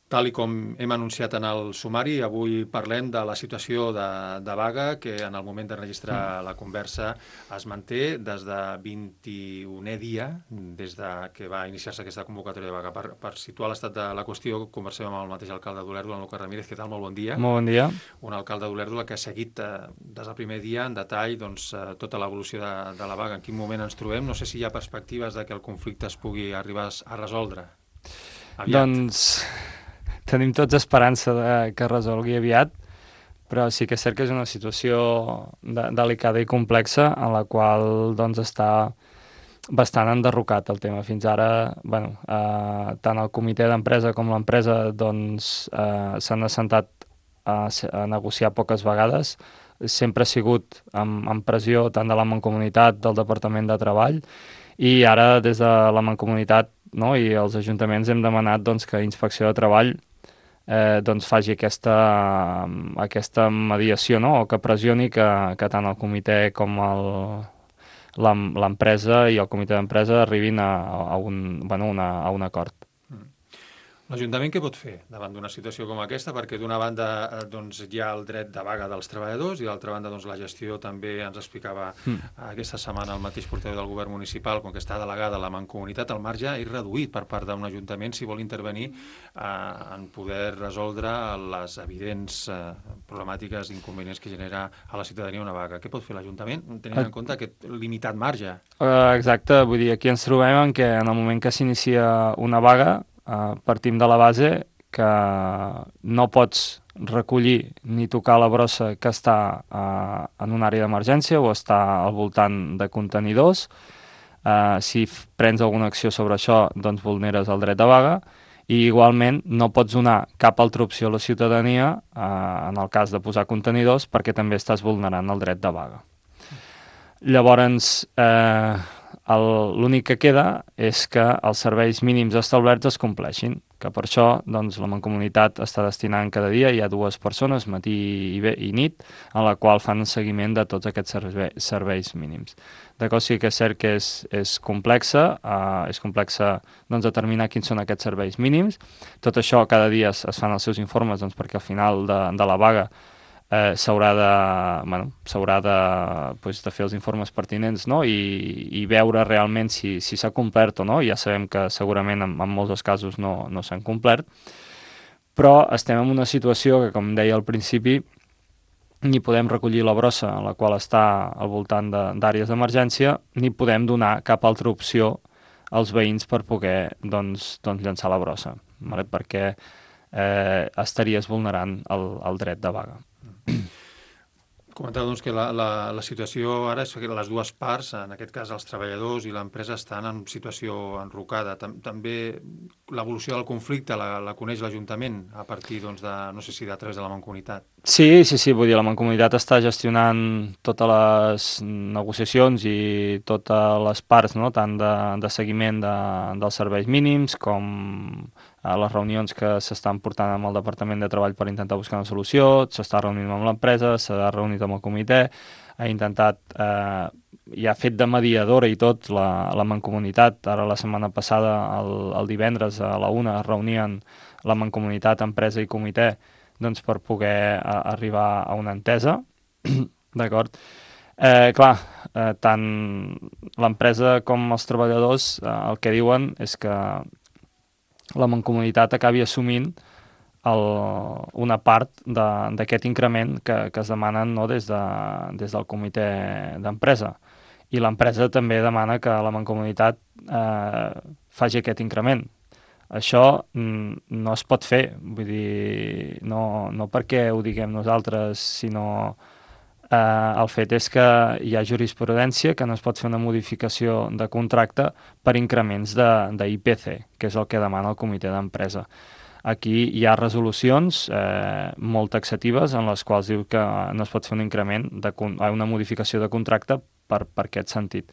Tal i com hem anunciat en el sumari, avui parlem de la situació de vaga que en el moment de registrar la conversa es manté des de 21è dia, des de que va iniciar-se aquesta convocatòria de vaga. Per situar l'estat de la qüestió, conversem amb el mateix alcalde d'Olèrdola, en Lucas Ramírez. Què tal? Molt bon dia. Molt bon dia. Un alcalde d'Olèrdola que ha seguit des del primer dia en detall tota l'evolució de la vaga. En quin moment ens trobem? No sé si hi ha perspectives de que el conflicte es pugui arribar a resoldre aviat. Doncs tenim tots esperança que es resolgui aviat, però sí que és cert que és una situació delicada i complexa en la qual doncs, està bastant enderrocat el tema. Fins ara, tant el comitè d'empresa com l'empresa doncs, s'han assentat a negociar poques vegades. Sempre ha sigut amb pressió tant de la Mancomunitat, del Departament de Treball, i ara des de la Mancomunitat, no, i els ajuntaments hem demanat doncs, que Inspecció de Treball doncs faci aquesta mediació, no? O que pressioni que tant el comitè com l'empresa i el comitè d'empresa arribin a un acord. L'Ajuntament què pot fer davant d'una situació com aquesta? Perquè d'una banda doncs, hi ha el dret de vaga dels treballadors i d'altra banda doncs, la gestió també ens explicava aquesta setmana el mateix portaveu del govern municipal, com que està delegada a la Mancomunitat, el marge és reduït per part d'un ajuntament si vol intervenir en poder resoldre les evidents problemàtiques i inconvenients que genera a la ciutadania una vaga. Què pot fer l'Ajuntament tenint en compte aquest limitat marge? Exacte, vull dir, aquí ens trobem en què en el moment que s'inicia una vaga partim de la base que no pots recollir ni tocar la brossa que està en una àrea d'emergència o està al voltant de contenidors. Si prens alguna acció sobre això, doncs vulneres el dret de vaga, i igualment no pots donar cap altra opció a la ciutadania en el cas de posar contenidors perquè també estàs vulnerant el dret de vaga. Llavors, l'únic que queda és que els serveis mínims establerts es compleixin, que per això doncs, la Mancomunitat està destinant cada dia, hi ha 2 persones, matí i nit, en la qual fan seguiment de tots aquests serveis mínims. D'acord, sí que és cert que és complexa doncs, determinar quins són aquests serveis mínims. Tot això cada dia es fan els seus informes doncs, perquè al final de la vaga s'haurà de fer els informes pertinents, no? I veure realment si s'ha complert o no. Ja sabem que segurament en molts dels casos no s'han complert, però estem en una situació que, com deia al principi, ni podem recollir la brossa en la qual està al voltant d'àrees d'emergència, ni podem donar cap altra opció als veïns per poder doncs, llançar la brossa, vale? Perquè estaries vulnerant el dret de vaga. Comentava doncs, que la situació ara és que les dues parts, en aquest cas els treballadors i l'empresa, estan en situació enrocada. També l'evolució del conflicte la coneix l'Ajuntament a partir, doncs, no sé si a través de la Mancomunitat. Sí, vull dir, la Mancomunitat està gestionant totes les negociacions i totes les parts, no? Tant de seguiment dels serveis mínims com a les reunions que s'estan portant amb el Departament de Treball per intentar buscar una solució, s'està reunint amb l'empresa, s'ha reunit amb el comitè, ha intentat, ja ha fet de mediadora i tot la Mancomunitat. Ara la setmana passada, el divendres a la 1 es reunien la Mancomunitat, empresa i comitè doncs per poder arribar a una entesa, d'acord? Tant l'empresa com els treballadors el que diuen és que la Mancomunitat acabi assumint una part d'aquest increment que es demanen, no, des del comitè d'empresa. I l'empresa també demana que la Mancomunitat faci aquest increment. Això no es pot fer, vull dir, no perquè ho diguem nosaltres, sinó el fet és que hi ha jurisprudència que no es pot fer una modificació de contracte per increments d'IPC, que és el que demana el comitè d'empresa. Aquí hi ha resolucions molt taxatives en les quals diu que no es pot fer un increment, una modificació de contracte per aquest sentit.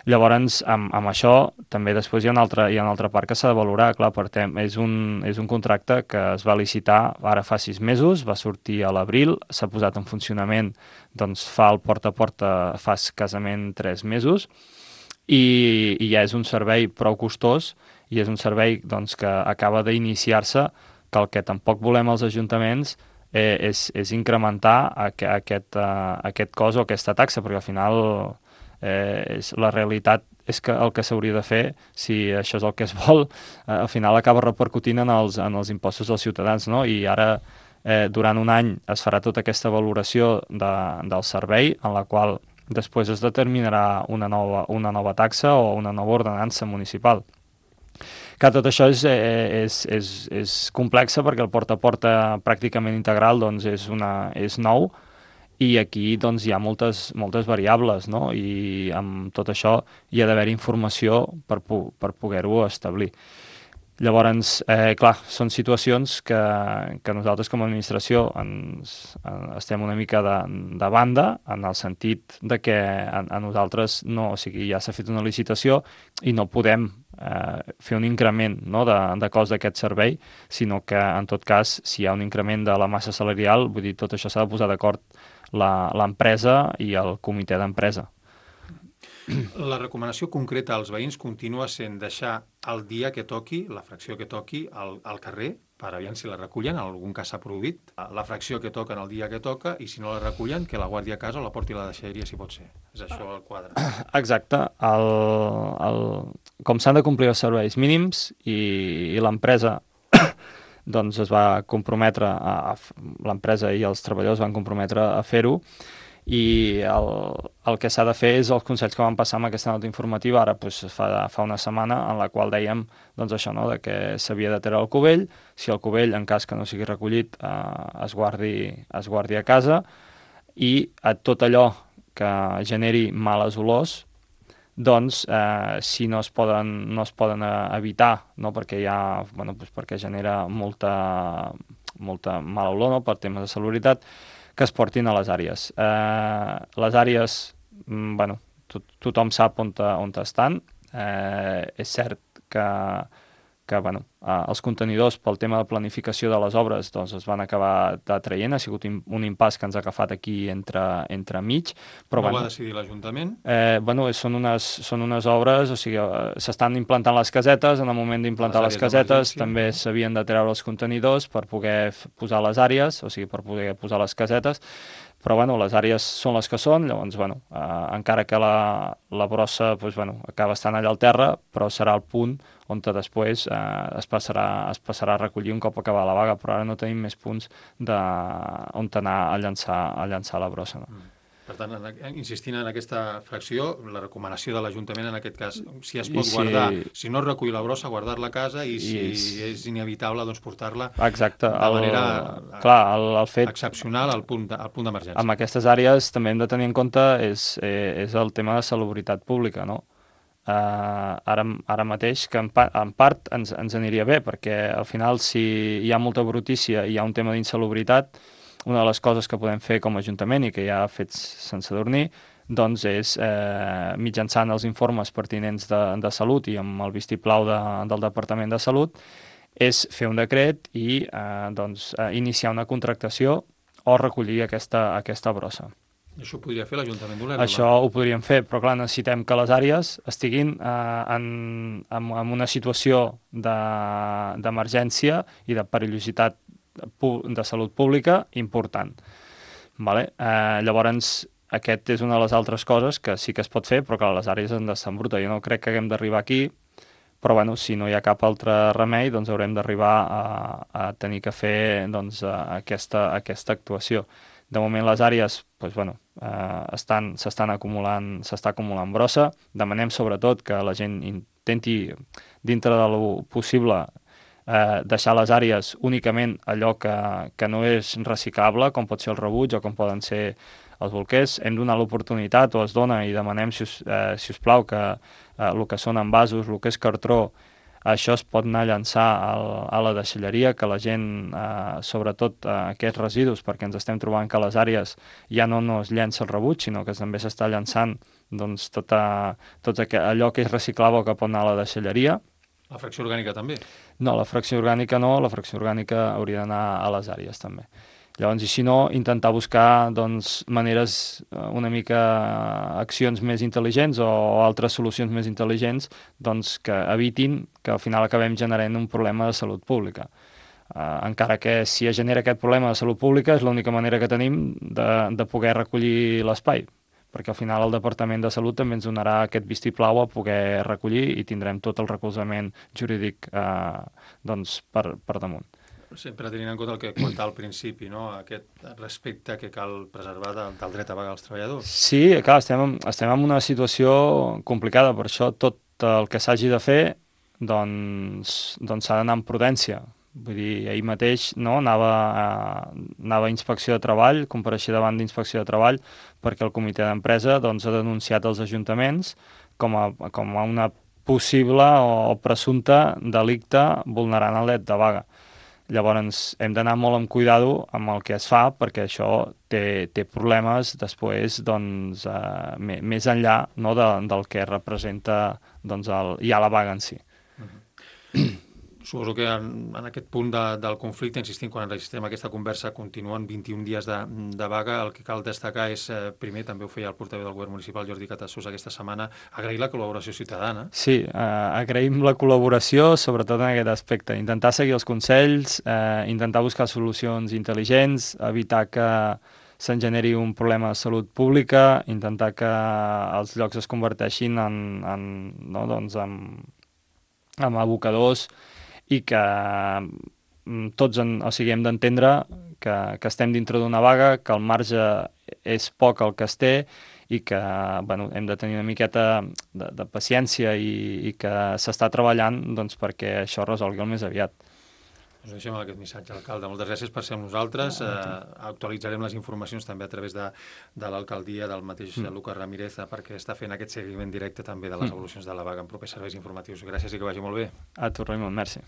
Llavors, amb això, també després hi ha una altra part que s'ha de valorar. Clar, és un contracte que es va licitar ara fa 6 mesos, va sortir a l'abril, s'ha posat en funcionament, doncs fa el porta a porta fa escassament 3 mesos, i ja és un servei prou costós, i és un servei doncs, que acaba d'iniciar-se que el que tampoc volem als ajuntaments és incrementar aquest cost o aquesta taxa, perquè al final la realitat és que el que s'hauria de fer, si això és el que es vol, al final acaba repercutint en els impostos dels ciutadans, no? I ara, durant un any, es farà tota aquesta valoració del servei, en la qual després es determinarà una nova taxa o una nova ordenança municipal. Que tot això és complexa perquè el porta a porta pràcticament integral doncs, és nou, i aquí doncs, hi ha moltes variables, no? I amb tot això hi ha d'haver informació per poder-ho establir. Llavors, clar, són situacions que nosaltres com a administració estem una mica de banda, en el sentit de que a nosaltres no, o sigui, ja s'ha fet una licitació i no podem fer un increment, no, de cost d'aquest servei, sinó que, en tot cas, si hi ha un increment de la massa salarial, vull dir, tot això s'ha de posar d'acord l'empresa i el comitè d'empresa. La recomanació concreta als veïns continua sent deixar el dia que toqui, la fracció que toqui, al carrer, per aviam si la recullen, en algun cas s'ha produït, la fracció que toquen el dia que toca, i si no la recullen, que la guardi a casa o la porti a la deixalleria, si pot ser. És això el quadre. Exacte. Com s'han de complir els serveis mínims i l'empresa doncs es va comprometre, l'empresa i els treballadors van comprometre a fer-ho, i el que s'ha de fer és els consells que van passar amb aquesta nota informativa ara doncs, fa una setmana, en la qual dèiem doncs, això, no? De que s'havia de treure el cubell, si el cubell, en cas que no sigui recollit, es guardi a casa, i a tot allò que generi males olors, doncs, si no es poden evitar, no? Perquè doncs perquè genera molta mala olor, no? Per temes de salubritat, que es portin a les àrees. Les àrees, tothom sap on estan. És cert que els contenidors, pel tema de planificació de les obres, doncs es van acabar traient. Ha sigut un impàs que ens ha agafat aquí entre mig. Però, no va decidir l'Ajuntament? Són unes obres, o sigui, s'estan implantant les casetes. En el moment d'implantar les casetes també s'havien de treure els contenidors per poder posar les àrees, o sigui, per poder posar les casetes. Però les àrees són les que són, llavors, encara que la brossa acaba estant allà al terra, però serà el punt on després es passarà a recollir un cop acabar la vaga, però ara no tenim més punts on anar a llançar la brossa. No? Per tant, insistint en aquesta fracció, la recomanació de l'Ajuntament en aquest cas, si es pot guardar, si no es recull la brossa, guardar-la a casa, i si és inevitable, doncs portar-la de manera excepcional al punt d'emergència. Amb aquestes àrees també hem de tenir en compte és el tema de salubritat pública, no? Ara mateix, que en part ens aniria bé, perquè al final si hi ha molta brutícia i hi ha un tema d'insalubritat, una de les coses que podem fer com a Ajuntament i que ja ha fet sense dormir, doncs és, mitjançant els informes pertinents de salut i amb el vistiplau del Departament de Salut, és fer un decret i iniciar una contractació o recollir aquesta brossa. Això ho podria fer l'Ajuntament d'Olèrdola? Això ho podríem fer, però clar, necessitem que les àrees estiguin en una situació d'emergència i de perillositat de salut pública important. Llavors, aquest és una de les altres coses que sí que es pot fer, però clar, les àrees han d'estar en bruta. Jo no crec que haguem d'arribar aquí, però si no hi ha cap altre remei, doncs haurem d'arribar a tenir que fer aquesta actuació. De moment les àrees s'està acumulant brossa. Demanem sobretot que la gent intenti, dintre del possible, deixar les àrees únicament allò que no és reciclable, com pot ser el rebuig o com poden ser els bolquers. Hem donat l'oportunitat, o es dona, i demanem, si us plau, que el que són envasos, el que és cartró, això es pot anar a llançar a la deixalleria, que la gent, sobretot aquests residus, perquè ens estem trobant que a les àrees ja no es llença el rebuig, sinó que també s'està llançant tot allò que és reciclable que pot anar a la deixalleria. La fracció orgànica també? No, la fracció orgànica no, la fracció orgànica hauria d'anar a les àrees també. Llavors, i si no, intentar buscar maneres, una mica accions més intel·ligents o altres solucions més intel·ligents que evitin que al final acabem generant un problema de salut pública. encara que si es genera aquest problema de salut pública és l'única manera que tenim de poder recollir l'espai, perquè al final el Departament de Salut també ens donarà aquest vistiplau a poder recollir i tindrem tot el recolzament jurídic doncs per damunt. Sempre tenint en compte el que comentava al principi, no? Aquest respecte que cal preservar del dret a vaga dels treballadors. Sí, clar, estem en una situació complicada, per això tot el que s'hagi de fer doncs s'ha d'anar amb prudència. Vull dir, ahir mateix anava a Inspecció de Treball, compareixia davant d'Inspecció de Treball, perquè el comitè d'empresa ha denunciat els ajuntaments com a una possible o presumpte delicte vulnerant el dret de vaga. Llavors hem d'anar molt amb cuidado amb el que es fa, perquè això té problemes després més enllà del que representa ja la vaga en si. Suposo que en aquest punt del conflicte, insistim, quan enregistrem aquesta conversa, continuen 21 dies de vaga. El que cal destacar és, primer, també ho feia el portaveu del govern municipal, Jordi Catassós, aquesta setmana, agrair la col·laboració ciutadana. Sí, agraïm la col·laboració, sobretot en aquest aspecte. Intentar seguir els consells, intentar buscar solucions intel·ligents, evitar que se'n generi un problema de salut pública, intentar que els llocs es converteixin en abocadors i que tots hem d'entendre que estem dintre d'una vaga, que el marge és poc el que es té i que hem de tenir una miqueta de paciència i que s'està treballant perquè això es resolgui el més aviat. Doncs deixem aquest missatge, alcalde. Moltes gràcies per ser amb nosaltres. Actualitzarem les informacions també a través de l'alcaldia, del mateix Lucas Ramírez, perquè està fent aquest seguiment directe també de les evolucions de la vaga en propers serveis informatius. Gràcies i que vagi molt bé. A tu, Raimon, merci.